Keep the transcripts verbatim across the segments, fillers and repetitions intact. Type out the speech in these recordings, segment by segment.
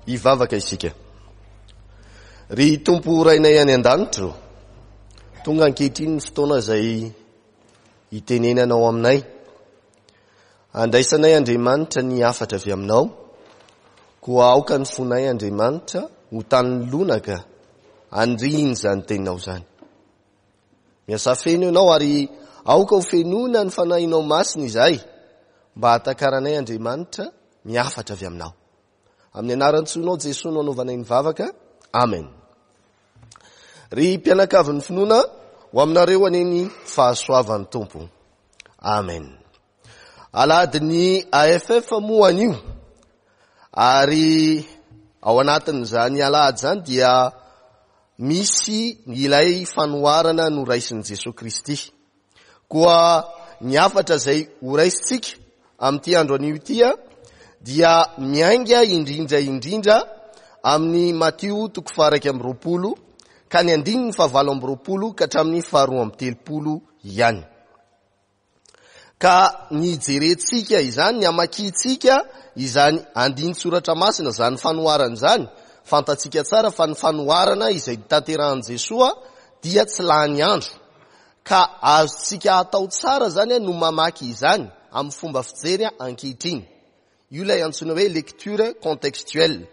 Hivavaka isika. Ry Tompo Rainay any an-danitra ô, tonga ankehitriny ny fotoana izay hitenenanao aminay. Andraisanay Andriamanitra ny hafatra avy aminao, koa aoka ny fonay Andriamanitra ho tany lonaka handriny izany teninao izany. Miasa feno ianao ary aoka ho fenoina ny fanahinao masina izahay mba hahatakaranay Andriamanitra ny hafatra avy aminao. Amin'ny anaran-tsoanao Jesoa no anaovanay ny vavaka. Amen. Ry mpianakavin'ny finoana, ho aminareo anie ny fahasoavan'ny Tompo. Amen. Alahadin'ny A F F moa anio, ary ao anatin'izany alahady izany dia misy ilay fanoharana noraisin'i Jesoa Kristy. Koa ny hafatra izay horaisintsika amin'ity andro anio ity dia miainga indrindra indrindra amin'ny Matio toko faha-iraika amby roapolo ka ny andininy fahavalo amby roapolo ka hatramin'ny faharoa amby telopolo ihany. Ka ny jerentsika izany, ny hamakintsika izany andinin-tsoratra masina, izany fanoharana izany, fantatsika tsara fa ny fanoharana izay tanterahan'i Jesoa dia tsy lany andro. Ka azontsika atao tsara izany no mamaky izany amin'ny fomba fijery ankehitriny. Io ilay antsoina hoe lecture contextuelle.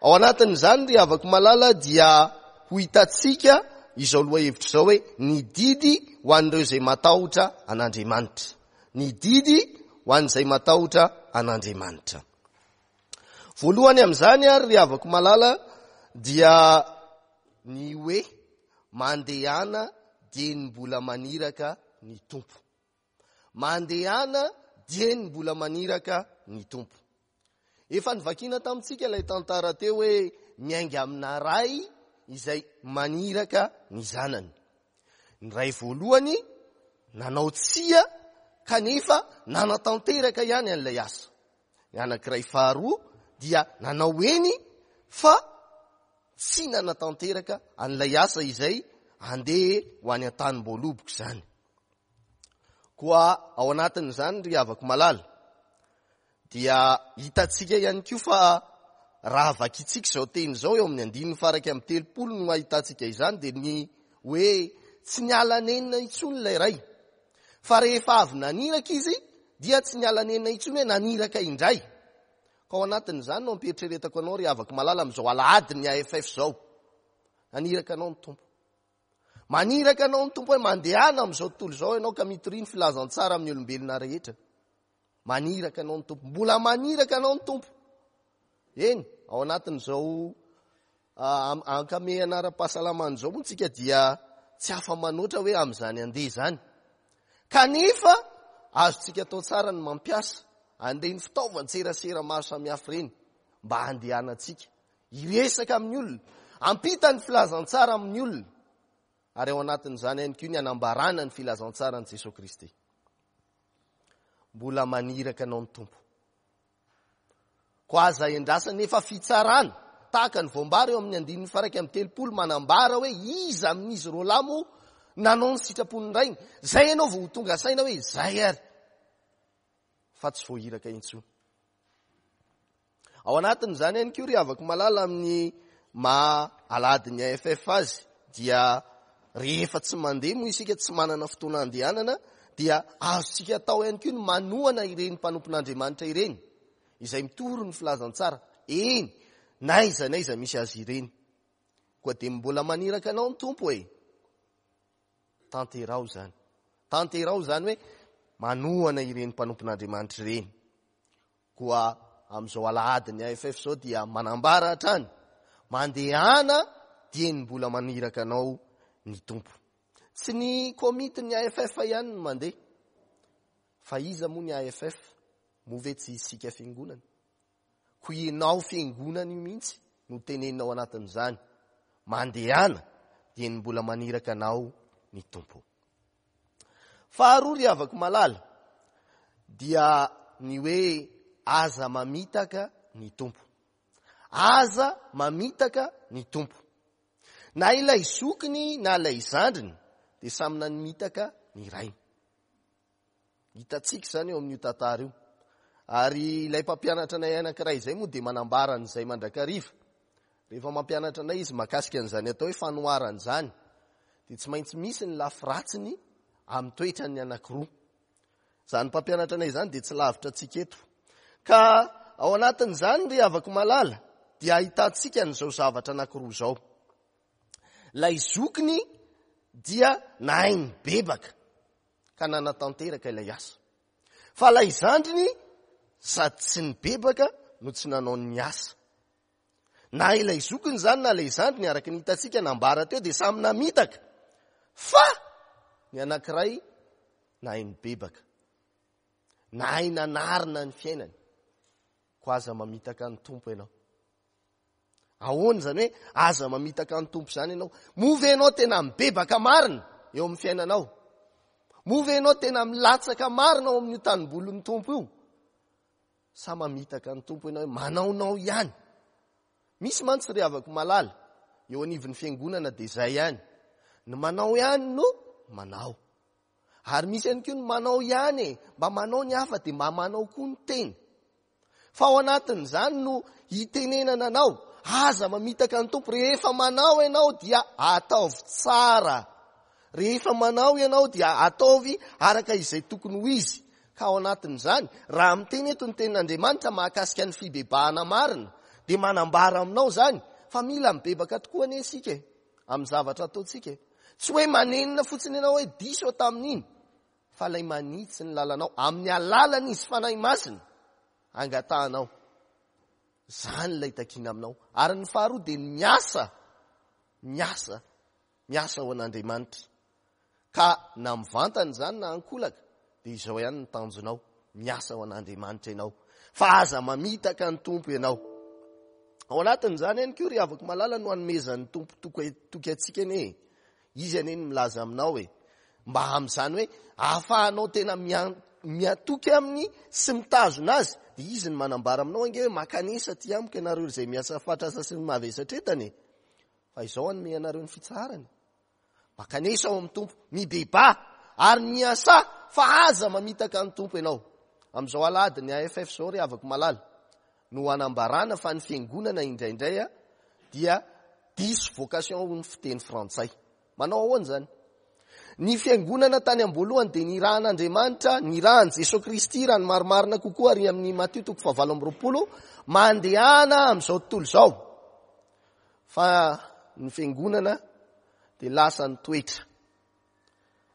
Ao anatin'izany ry havako malala dia ho hitantsika izao lohahevitra izao hoe ny didy ho an'ireo izay matahotra an'Andriamanitra. Ny didy ho an'izay matahotra an'Andriamanitra. Voalohany amin'izany ary ry havako malala dia ny hoe mandehana dieny mbola maniraka ny Tompo. Mandehana dieny mbola maniraka ny Tompo. Efa nivakiana tamintsika ilay tantara teo hoe miainga amina ray izay maniraka ny zanany. Ny ray voalohany nanao tsia kanefa nanatanteraka ihany an'ilay asa. Ny anankiray faharoa dia nanao eny fa tsy nanatanteraka an'ilay asa izay andeha ho any an-tanim-boaloboka izany. Koa ao anatin'izany ry havako malala dia hitantsika ihany koa fa raha vakintsika izao teny izao eo amin'ny andininy faha-iraika amby telopolo no ahitantsika izany, dia ny hoe tsy niala nenina intsony ilay ray. Fa rehefa avy naniraka izy dia tsy niala nenina intsony hoe naniraka indray. Ka ao anatin'izany no ampieritreretako anao ry havako malala amin'izao alahadin'ny A F F izao. Naniraka anao ny Tompo. Maniraka anao ny Tompo hoe mandehana amin'izao tontolo izao ianao ka mitoria ny filazantsara amin'ny olombelona rehetra. Maniraka anao ny Tompo. Mbola maniraka anao ny Tompo. Eny, ao anatin'izao, ah, ankamehana ara-pahasalamana izao moa tsika dia tsy afa-manoatra hoe amin'izany andeha izany. Kanefa azontsika atao tsara ny mampiasa an'ireny fitaovan-tserasera maro samihafa ireny mba handehanantsika hiresaka amin'ny olona, hampita ny filazantsara amin'ny olona, ary ao anatin'izany ihany koa ny hanambarana ny filazantsaran'i Jesoa Kristy. Mbola maniraka anao ny Tompo. Koa aza endrasana nefa fitsarana, tahaka ny voambara eo amin'ny andininy faha-iraika amby telopolo manambara hoe iza amin'izy roa lahy moa nanao ny sitrapon'ny rainy. Zay ianao vao ho tonga saina hoe zay ary, fa tsy voahiraka intsony. Ao anatin'izany ihany koa ry havako malala amin'ny maha alahadin'ny A F F azy dia rehefa tsy mandeha moa isika, tsy manana fotoana andehanana, dia azontsika atao ihany koa ny manohana ireny mpanompon'Andriamanitra ireny izay mitory ny filazantsara eny na aiza na aiza misy azy ireny. Koa dia mbola maniraka anao ny Tompo e. Tanterao izany. Tanterao izany hoe manohana ireny mpanompon'Andriamanitra ireny. Koa amin'izao alahadin'ny A F F izao dia manambara hatrany, mandehana dieny mbola maniraka anao ny Tompo. Tsy ny komitin'ny A F F ihany no mandeha. Fa iza moa ny A F F? Moa ve tsy isika fiangonana? Koa ianao fiangonana io mihitsy no teneninao anatin'izany. Mandehana dieny mbola maniraka anao ny Tompo. Faharoa ry havako malala dia ny hoe aza mamitaka ny Tompo. Aza mamitaka ny Tompo. Na ilay zokiny na ilay zandriny dia samy namitaka ny rainy. Hitantsika izany eo amin'io tantara io. Ary ilay mpampianatra anay anankiray izay moa dia manambara an'izay mandrakariva. Rehefa mampianatra anay izy mahakasika an'izany atao hoe fanoharana izany, dia tsy maintsy misy ny lafy ratsiny amin'ny toetran'ny anankiroa. Izany mpampianatra anay izany dia tsy lavitra antsika eto. Ka ao anatin'izany ry havako malala dia ahitantsika an'izao zavatra anankiroa izao. Ilay zokiny dia nahay nibebaka ka nanatanteraka ilay asa. Fa ilay zandriny sady tsy nibebaka no tsy nanao ny asa. Na ilay zokiny izany na ilay zandriny araka ny hitantsika nambara teo dia samy namitaka. Fa ny anankiray nahay nibebaka, nahay nanarina ny fiainany. Koa aza mamitaka ny Tompo ianao. Ahoana izany hoe aza mamitaka ny Tompo izany ianao? Moa ve ianao tena mibebaka marina eo amin'ny fiainanao? Moa ve ianao tena milatsaka marina ao amin'io tanimbolin'ny Tompo io? Sa mamitaka ny Tompo ianao hoe manaonao ihany? Misy mantsy ry havako malala eo anivon'ny fiangonana dia izay ihany. Ny manao ihany no manao. Ary misy ihany koa ny manao ihany e, mba manao ny hafa dia mba manao koa ny tena. Fa ao anatin'izany no hitenenana anao, aza mamitaka ny Tompo. Rehefa manao ianao dia ataovy tsara. Rehefa manao ianao dia ataovy araka izay tokony ho izy. Ka ao anatin'izany, raha miteny eto ny tenin'Andriamanitra mahakasika ny fibebahana marina, dia manambara aminao izany fa mila mibebaka tokoa anie isika e, amin'ny zavatra ataontsika e. Tsy hoe manenina fotsiny ianao hoe diso aho tamin'iny, fa ilay manitsy ny lalanao amin'ny alalan'izy Fanahy Masina angatahanao. Izany ilay takiana aminao. Ary ny faharoa dia ny miasa, miasa, miasa ho an'Andriamanitra. Ka na mivantana izany na ankolaka, dia izao ihany ny tanjonao, miasa ho an'Andriamanitra ianao. Fa aza mamitaka ny Tompo ianao. Ao anatin'izany ihany koa ry havako malala no anomezan'ny Tompo toky antsika anie. Izy anie no milaza aminao hoe mba amin'izany hoe ahafahanao tena miatoky aminy sy mitazona azy, dia izy no manambara aminao ange hoe makanesa aty amiko ianareo izay miasa fatratra sy mavesatra entana e. Fa izao hanome anareo ny fitsaharana. Makanesa ao amin'ny Tompo, mibebaha ary miasa fa aza mamitaka ny Tompo ianao. Amin'izao alahady ny A F F izao ry havako malala no anambarana fa ny fiangonana indraindray a dia diso vocation ho ny fiteny frantsay. Manao ahoana izany? Ny fiangonana tany am-boalohany dia nirahan'Andriamanitra, nirahan'i Jesoa Kristy raha ny marimarina kokoa ary amin'ny Matio toko fahavalo amby roapolo, mandehana amin'izao tontolo izao. Fa ny fiangonana dia lasa nitoetra.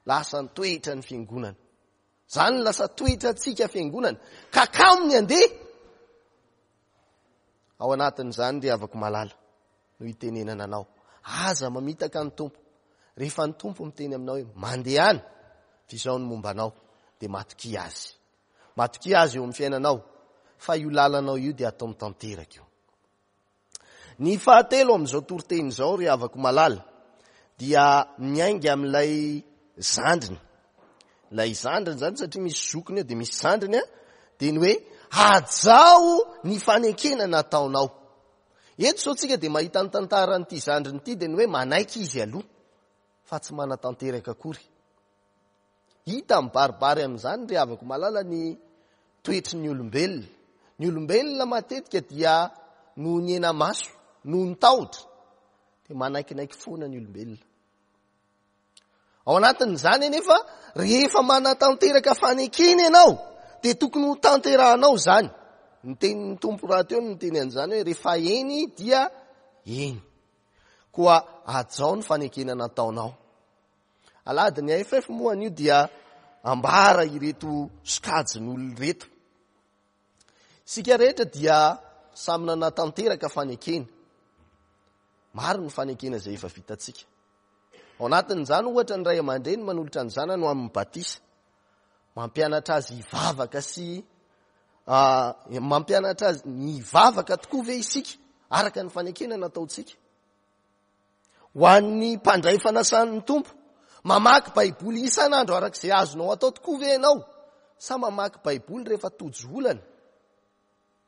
Lasa nitoetra ny fiangonana. Izany no lasa toetra antsika fiangonana. Ka kamo ny andeha. Ao anatin'izany ry havako malala no hitenenana anao. Aza mamitaka ny Tompo. Rehefa ny Tompo miteny aminao hoe mandehana, fa izao no momba anao, dia matokia azy. Matokia azy eo amin'ny fiainanao, fa io lalanao io dia ataony tanteraka io. Ny fahatelo amin'izao toriteny izao ry havako malala dia miainga amin'ilay zandriny. Ilay zandriny izany satria misy zokiny eo dia misy zandriny a, dia ny hoe hajao ny fanekena nataonao. Eto izao tsika dia mahita ny tantaran'ity zandriny ity, dia ny hoe manaiky izy aloha fa tsy manatanteraka akory. Hita mibaribary amin'izany ry havako malala ny toetry ny olombelona. Ny olombelona matetika dia noho ny hena-maso, noho ny tahotra, dia manaikinaiky foana ny olombelona. Ao anatin'izany anefa, rehefa manatanteraka fanekena ianao, dia tokony ho tanterahanao izany. Ny tenin'ny Tompo rahateo no niteny an'izany hoe rehefa eny dia eny. Koa hajao ny fanekena nataonao. Alahady ny A F F moa anio dia ambara ireto sokajin'olona ireto. Isika rehetra dia samy nanatanteraka fanekena. Maro ny fanekena izay efa vitantsika. Ao anatin'izany ohatra ny ray aman-dreny manolotra ny zanany ho amin'ny batisa. Mampianatra azy hivavaka sy, ah, mampianatra azy ny hivavaka tokoa ve isika araka ny fanekena nataontsika? Ho an'ny mpandray fanasan'ny Tompo, mamaky Baiboly isan'andro araka izay azonao atao tokoa ve ianao? Sa mamaky Baiboly rehefa tojo olana?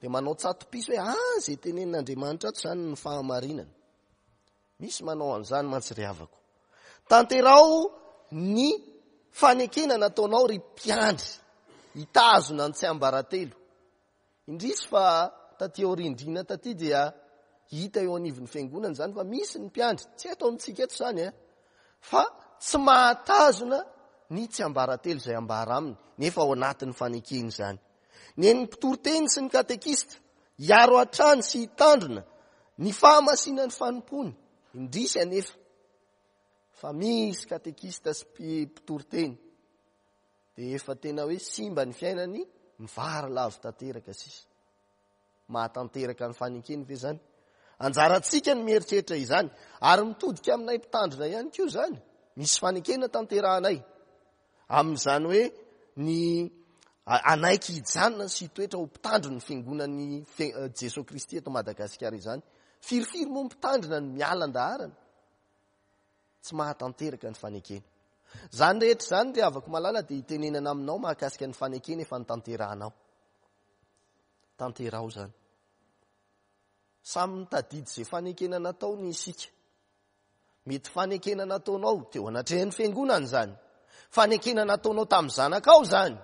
Dia manao tsato-piso hoe, ah, izay tenenin'Andriamanitra ato izany ny fahamarinana. Misy manao an'izany mantsy ry havako. Tanterao ny fanekena nataonao ry mpiandry, hitazona ny tsiambaratelo. Indrisy fa taty aoriandriana taty dia hita eo anivon'ny fiangonana izany fa misy ny mpiandry, tsy eto amintsika eto izany e, fa tsy mahatazona ny tsiambaratelo izay ambara aminy, nefa ao anatin'ny fanekena izany. Ny an'ny mpitoriteny sy ny katekista hiaro hatrany sy hitandrina ny fahamasinan'ny fanompony. Indrisy anefa fa misy katekista sy mpitoriteny dia efa tena hoe simba ny fiainany, mivary lavo tanteraka sisa. Mahatanteraka ny fanekeny ve izany? Anjarantsika ny mieritreritra izany, ary mitodika aminay mpitandrina ihany koa izany. Misy fanekena tanterahanay amin'izany hoe ny anaiky hijanona sy hitoetra ho mpitandro ny fiangonan'ny Jesoa Kristy eto Madagasikara izany. Firifiry moa mpitandrina ny miala an-daharana, tsy mahatanteraka ny fanekena. Izany rehetra izany ry havako malala dia hitenenana aminao mahakasika ny fanekena efa notanterahanao. Tanteraho izany. Samy mitadidy izay fanekena nataony isika. Mety fanekena nataonao teo anatrehan'ny fiangonana izany. Fanekena nataonao tamin'ny zanakao izany,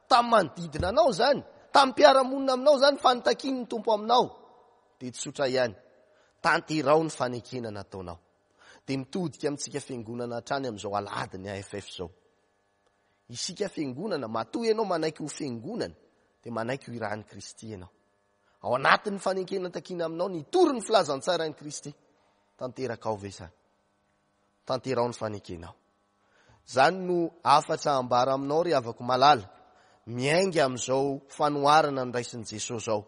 tamin'ny manodidina anao izany, tamin'ny mpiara-monina aminao izany, fa nitakian'ny Tompo aminao. Dia tsotra ihany, tanteraho ny fanekena nataonao. Dia mitodika amintsika fiangonana hatrany amin'izao alahady ny A F F izao. Isika fiangonana, matoa ianao manaiky ho fiangonana, dia manaiky ho irahan'i Kristy ianao. Ao anatin'ny fanekena takiana aminao ny hitory ny filazantsaran'i Kristy. Tanterakao ve izany? Tanteraho ny fanekenao. Izany no hafatra ambara aminao ry havako malala, miainga amin'izao fanoharana noraisin'i Jesosy izao.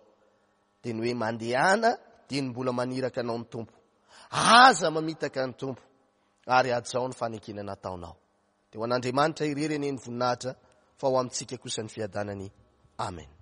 Dia ny hoe mandehana dia ny mbola maniraka anao ny Tompo. Aza mamitaka ny Tompo ary hajao ny fanekena nataonao. Dia ho an'Andriamanitra irery anie ny voninahitra, fa ho amintsika kosa ny fiadanany. Amen.